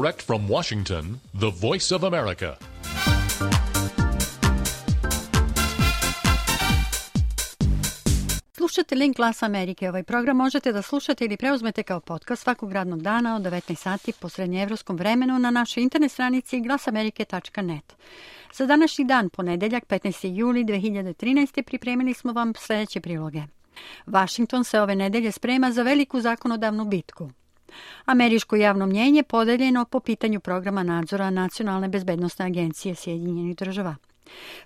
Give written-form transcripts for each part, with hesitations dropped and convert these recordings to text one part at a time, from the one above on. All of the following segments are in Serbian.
Direct from Washington, the Voice of America. Slušate Link Glasa Amerike. Ovaj program možete da slušate ili preuzmete kao podcast svakog radnog dana od 19 sati po srednjeevropskom vremenu na našoj internet stranici glasamerike.net. Za današnji dan, ponedeljak 15. juli 2013. pripremili smo vam sljedeće priloge. Washington se ove nedelje sprema za veliku zakonodavnu bitku. Američko javno mnjenje podeljeno po pitanju programa nadzora Nacionalne bezbednosne agencije Sjedinjenih država.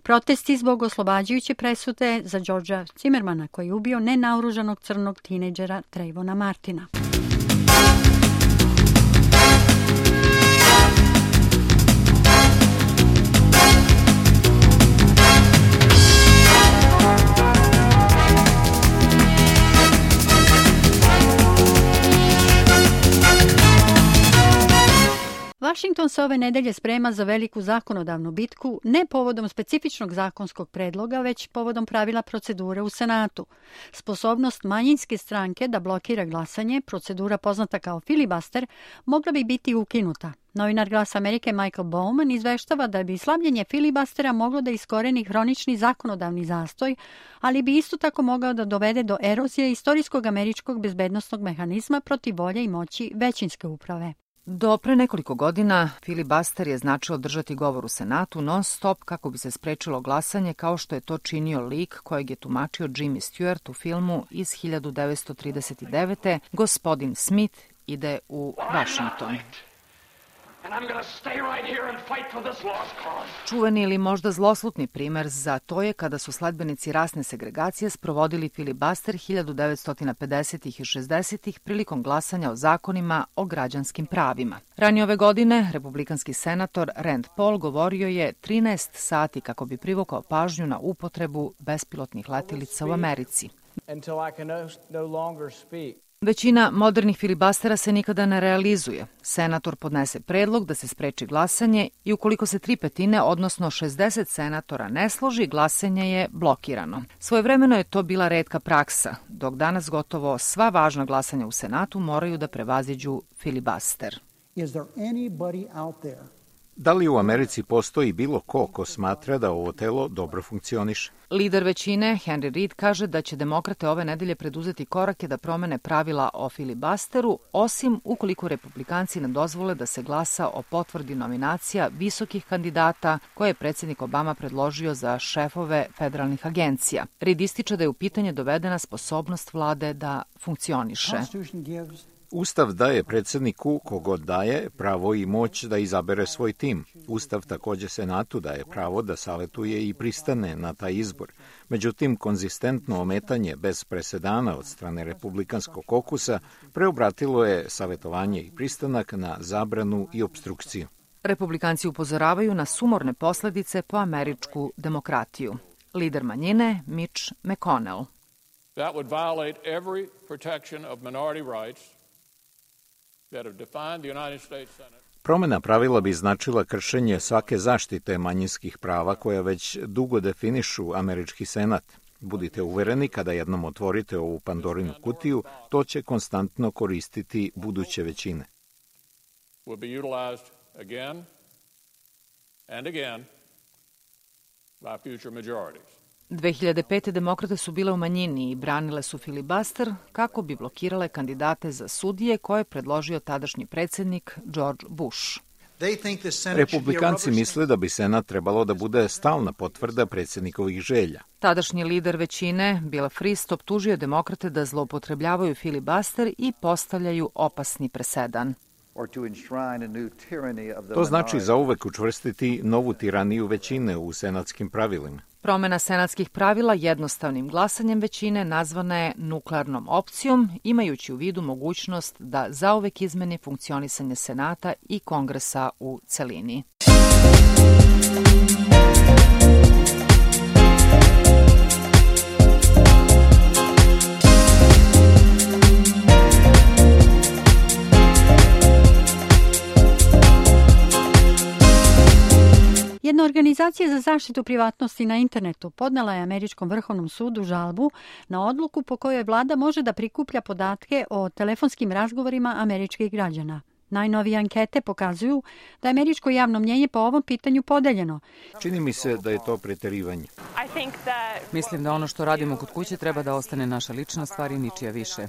Protesti zbog oslobađajuće presude za Georgea Zimmermana koji je ubio nenaoružanog crnog tinejdžera Trayvona Martina. Washington se ove nedelje sprema za veliku zakonodavnu bitku, ne povodom specifičnog zakonskog predloga, već povodom pravila procedure u Senatu. Sposobnost manjinske stranke da blokira glasanje, procedura poznata kao filibuster, mogla bi biti ukinuta. Novinar Glasa Amerike Michael Bowman izveštava da bi slabljenje filibustera moglo da iskoreni hronični zakonodavni zastoj, ali bi isto tako mogao da dovede do erozije istorijskog američkog bezbednosnog mehanizma protiv volje i moći većinske uprave. Do pre nekoliko godina filibuster je značilo držati govor u Senatu non-stop kako bi se sprečilo glasanje, kao što je to činio lik kojeg je tumačio Jimmy Stewart u filmu iz 1939. Gospodin Smith ide u Washington. Čuveni ili možda zloslutni primer za to je kada su sledbenici rasne segregacije sprovodili filibuster 1950. i 60. prilikom glasanja o zakonima o građanskim pravima. Ranije ove godine republikanski senator Rand Paul govorio je 13 sati kako bi privukao pažnju na upotrebu bespilotnih letilica u Americi. Većina modernih filibustera se nikada ne realizuje. Senator podnese predlog da se spreči glasanje i ukoliko se 3/5, odnosno 60 senatora ne složi, glasanje je blokirano. Svojevremeno je to bila retka praksa, dok danas gotovo sva važna glasanja u Senatu moraju da prevaziđu filibuster. Da li u Americi postoji bilo ko smatra da ovo telo dobro funkcioniše? Lider većine, Henry Reid, kaže da će demokrate ove nedelje preduzeti korake da promene pravila o filibusteru, osim ukoliko republikanci ne dozvole da se glasa o potvrdi nominacija visokih kandidata koje je predsjednik Obama predložio za šefove federalnih agencija. Reid ističe da je u pitanje dovedena sposobnost vlade da funkcioniše. Ustav daje predsjedniku, kogod daje, pravo i moć da izabere svoj tim. Ustav također Senatu daje pravo da savetuje i pristane na taj izbor. Međutim, konzistentno ometanje bez presedana od strane republikanskog kokusa preobratilo je savetovanje i pristanak na zabranu i opstrukciju. Republikanci upozoravaju na sumorne posljedice po američku demokratiju. Lider manjine, Mitch McConnell. That would violate every protection of minority rights. Promjena pravila bi značila kršenje svake zaštite manjinskih prava koja već dugo definišu američki senat. Budite uvereni, kada jednom otvorite ovu Pandorinu kutiju, to će konstantno koristiti buduće većine. 2005. demokrate su bile u manjini i branile su filibuster kako bi blokirale kandidate za sudije koje je predložio tadašnji predsjednik George Bush. Republikanci misle da bi Senat trebalo da bude stalna potvrda predsjednikovih želja. Tadašnji lider većine, Bill Frist, optužio demokrate da zloupotrebljavaju filibuster i postavljaju opasni presedan. To znači zauvek učvrstiti novu tiraniju većine u senatskim pravilima. Promjena senatskih pravila jednostavnim glasanjem većine nazvana je nuklearnom opcijom, imajući u vidu mogućnost da zauvek izmeni funkcionisanje Senata i Kongresa u celini. Jedna organizacija za zaštitu privatnosti na internetu podnela je Američkom vrhovnom sudu žalbu na odluku po kojoj vlada može da prikuplja podatke o telefonskim razgovorima američkih građana. Najnovije ankete pokazuju da je američko javno mnjenje po ovom pitanju podeljeno. Čini mi se da je to preterivanje. Mislim da ono što radimo kod kuće treba da ostane naša lična stvar i ničija više.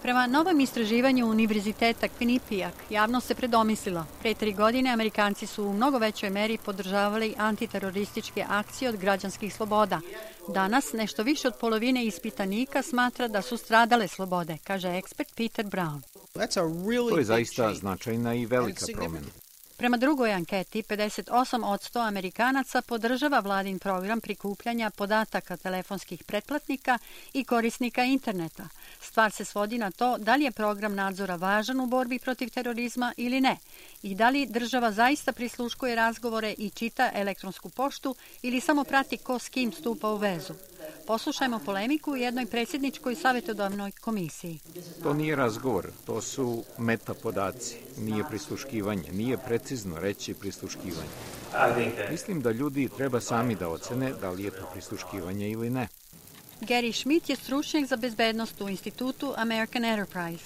Prema novom istraživanju Univerziteta Quinnipiac, javnost se predomislila. Pre 3 godine Amerikanci su u mnogo većoj meri podržavali antiterorističke akcije od građanskih sloboda. Danas nešto više od polovine ispitanika smatra da su stradale slobode, kaže ekspert Peter Brown. To je zaista značajna i velika promjena. Prema drugoj anketi, 58% Amerikanaca podržava vladin program prikupljanja podataka telefonskih pretplatnika i korisnika interneta. Stvar se svodi na to da li je program nadzora važan u borbi protiv terorizma ili ne i da li država zaista prisluškuje razgovore i čita elektronsku poštu ili samo prati ko s kim stupa u vezu. Poslušajmo polemiku u jednoj predsjedničkoj savjetodavnoj komisiji. To nije razgovor, to su metapodaci, nije prisluškivanje, nije precizno reći prisluškivanje. Mislim da ljudi treba sami da ocene da li je to prisluškivanje ili ne. Gary Schmidt je stručnjak za bezbednost u institutu American Enterprise.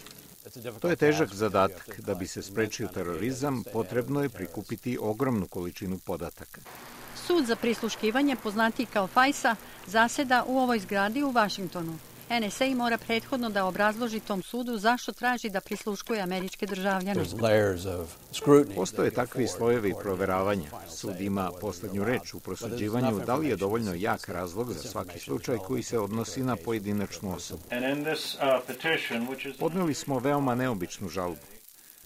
To je težak zadatak. Da bi se sprečio terorizam, potrebno je prikupiti ogromnu količinu podataka. Sud za prisluškivanje, poznatiji kao FISA, zaseda u ovoj zgradi u Vašingtonu. NSA mora prethodno da obrazloži tom sudu zašto traži da prisluškuje američke državljane. Postoje takvi slojevi proveravanja. Sud ima poslednju reč u prosuđivanju da li je dovoljno jak razlog za svaki slučaj koji se odnosi na pojedinačnu osobu. Podneli smo veoma neobičnu žalbu.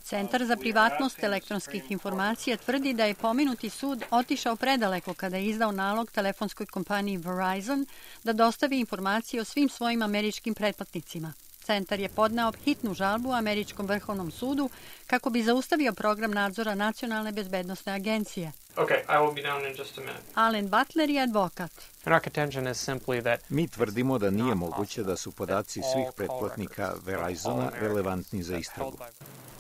Centar za privatnost elektronskih informacija tvrdi da je pomenuti sud otišao predaleko kada je izdao nalog telefonskoj kompaniji Verizon da dostavi informacije o svim svojim američkim pretplatnicima. Centar je podneo hitnu žalbu Američkom vrhovnom sudu kako bi zaustavio program nadzora Nacionalne bezbednosne agencije. Alan Butler je advokat. Mi tvrdimo da nije moguće da su podaci svih pretplatnika Verizona relevantni za istragu.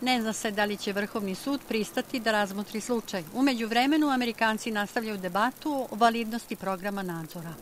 Ne zna se da li će Vrhovni sud pristati da razmotri slučaj. U međuvremenu Amerikanci nastavljaju debatu o validnosti programa nadzora.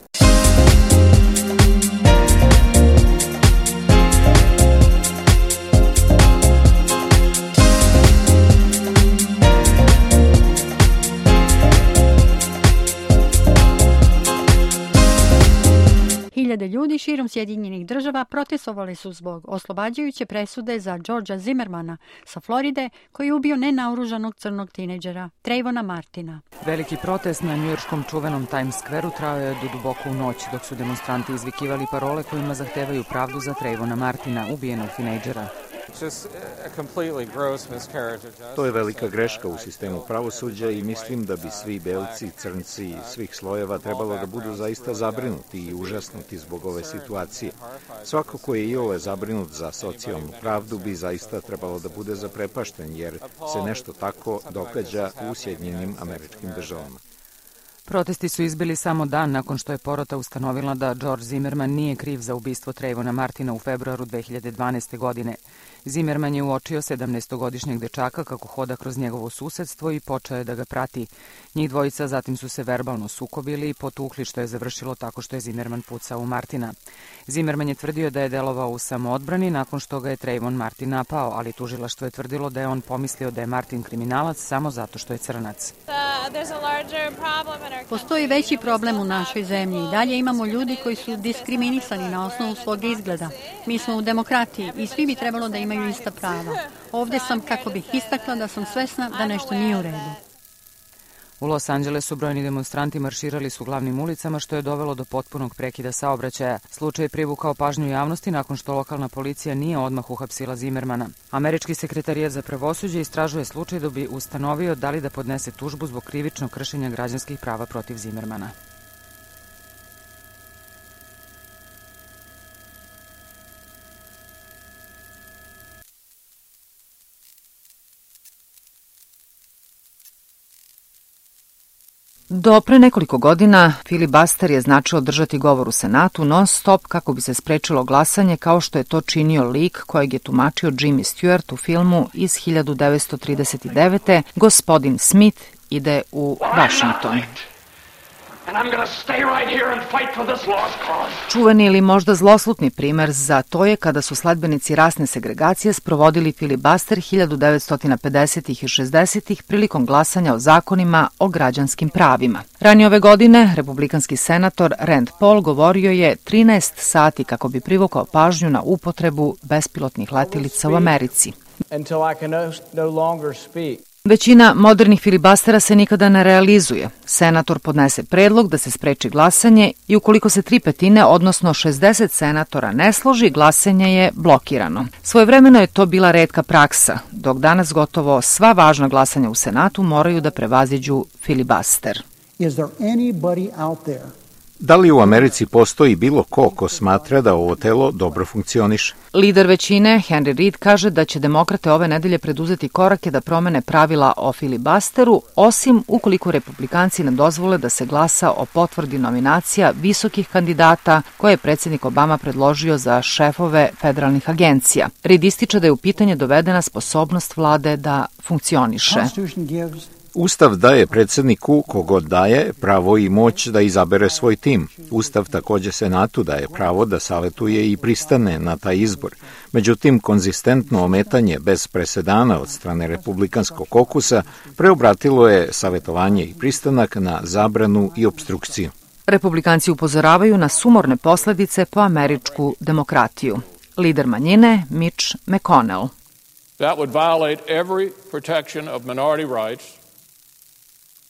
Hiljade ljudi širom Sjedinjenih država protestovali su zbog oslobađajuće presude za Georgea Zimmermana sa Floride, koji je ubio nenaoružanog crnog tinejdžera Trayvona Martina. Veliki protest na njujorškom čuvenom Times Square-u trajao je do duboko u noć, dok su demonstranti izvikivali parole kojima zahtevaju pravdu za Trayvona Martina, ubijenog tinejdžera. To je velika greška u sistemu pravosuđa i mislim da bi svi belci, crnci i svih slojeva trebalo da budu zaista zabrinuti i užasnuti zbog ove situacije. Svako ko je iole zabrinut za socijalnu pravdu bi zaista trebalo da bude zaprepašten, jer se nešto tako događa u Sjedinjenim Američkim Državama. Protesti su izbili samo dan nakon što je porota ustanovila da George Zimmerman nije kriv za ubistvo Trayvona Martina u februaru 2012. godine. Zimmerman je uočio 17-godišnjeg dečaka kako hoda kroz njegovo susedstvo i počeo je da ga prati. Njih dvojica zatim su se verbalno sukobili i potukli, što je završilo tako što je Zimmerman pucao u Martina. Zimmerman je tvrdio da je delovao u samoodbrani nakon što ga je Trayvon Martin napao, ali tužilaštvo je tvrdilo da je on pomislio da je Martin kriminalac samo zato što je crnac. Postoji veći problem u našoj zemlji i dalje imamo ljudi koji su diskriminisani na osnovu svog izgleda. Mi smo u demokratiji i svi bi trebalo da imaju ista prava. Ovdje sam kako bih istakla da sam svesna da nešto nije u redu. U Los Angelesu brojni demonstranti marširali su glavnim ulicama, što je dovelo do potpunog prekida saobraćaja. Slučaj je privukao pažnju javnosti nakon što lokalna policija nije odmah uhapsila Zimmermana. Američki sekretarijat za pravosuđe istražuje slučaj da bi ustanovio da li da podnese tužbu zbog krivičnog kršenja građanskih prava protiv Zimmermana. Do pre nekoliko godina filibuster je značilo držati govor u Senatu non-stop kako bi se sprečilo glasanje, kao što je to činio lik kojeg je tumačio Jimmy Stewart u filmu iz 1939. Gospodin Smith ide u Washington. And I'm gonna stay right here and fight for this lost cause. Čuveni ili možda zloslutni primer za to je kada su sledbenici rasne segregacije sprovodili filibaster 1950. i 60. prilikom glasanja o zakonima o građanskim pravima. Ranije ove godine republikanski senator Rand Paul govorio je 13 sati kako bi privukao pažnju na upotrebu bespilotnih letelica u Americi. Većina modernih filibastera se nikada ne realizuje. Senator podnese predlog da se spreči glasanje i ukoliko se 3/5, odnosno 60 senatora ne složi, glasanje je blokirano. Svojevremeno je to bila retka praksa, dok danas gotovo sva važna glasanja u Senatu moraju da prevaziđu filibaster. Da li u Americi postoji bilo ko smatra da ovo telo dobro funkcioniše? Lider većine, Henry Reid, kaže da će demokrate ove nedelje preduzeti korake da promene pravila o filibasteru, osim ukoliko republikanci ne dozvole da se glasa o potvrdi nominacija visokih kandidata koje je predsjednik Obama predložio za šefove federalnih agencija. Reid ističe da je u pitanje dovedena sposobnost vlade da funkcioniše. Ustav daje predsjedniku, kogod daje, pravo i moć da izabere svoj tim. Ustav također Senatu daje pravo da savetuje i pristane na taj izbor. Međutim, konzistentno ometanje bez presedana od strane republikanskog kokusa preobratilo je savetovanje i pristanak na zabranu i opstrukciju. Republikanci upozoravaju na sumorne posledice po američku demokratiju. Lider manjine, Mitch McConnell. That would violate every protection of minority rights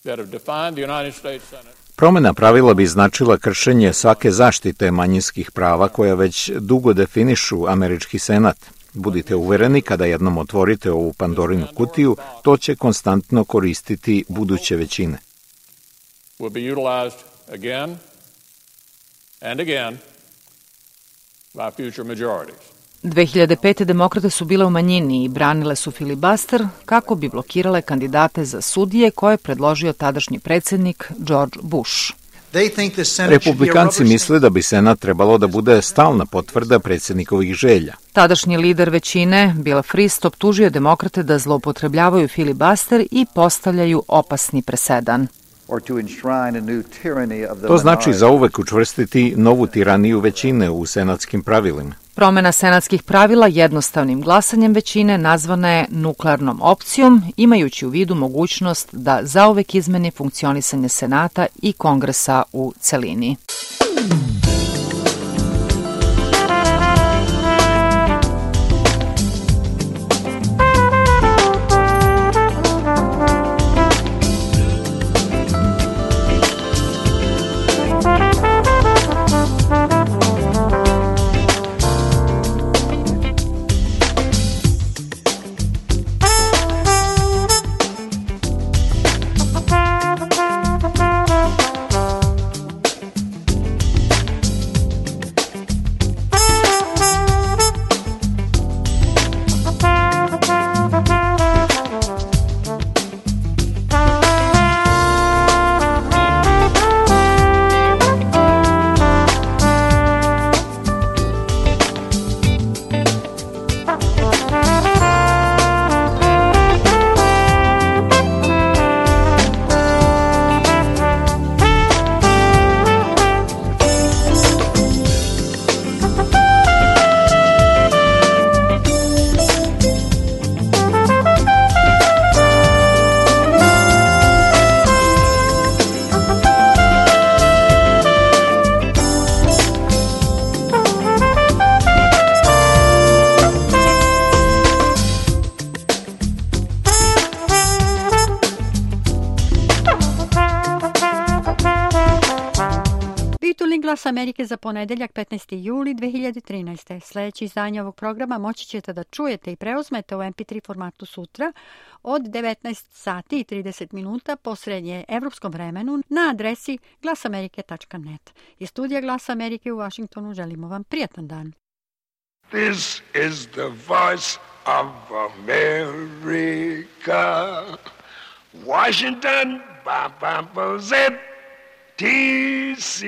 that have defined the United States Senate. Promena pravila bi značila kršenje svake zaštite manjinskih prava koja već dugo definišu američki senat. Budite uvereni, kada jednom otvorite ovu Pandorinu kutiju, to će konstantno koristiti buduće većine. Will be utilized again and again by future majorities. 2005. demokrate su bile u manjini i branile su filibaster kako bi blokirale kandidate za sudije koje je predložio tadašnji predsjednik George Bush. Republikanci misle da bi Senat trebalo da bude stalna potvrda predsjednikovih želja. Tadašnji lider većine, Bill Frist, optužio demokrate da zloupotrebljavaju filibaster i postavljaju opasni presedan. To znači zauvek učvrstiti novu tiraniju većine u senatskim pravilima. Promena senatskih pravila jednostavnim glasanjem većine nazvana je nuklearnom opcijom, imajući u vidu mogućnost da zauvek izmeni funkcionisanje Senata i Kongresa u celini. Glas Amerike za ponedeljak 15. juli 2013. Sljedeće izdanje ovog programa moći ćete da čujete i preuzmete u MP3 formatu sutra od 19 sati i 30 minuta po srednje evropskom vremenu na adresi glasamerike.net. Iz studija Glasa Amerike u Washingtonu želimo vam prijatan dan. This is the voice of America. Washington, Z, T.C.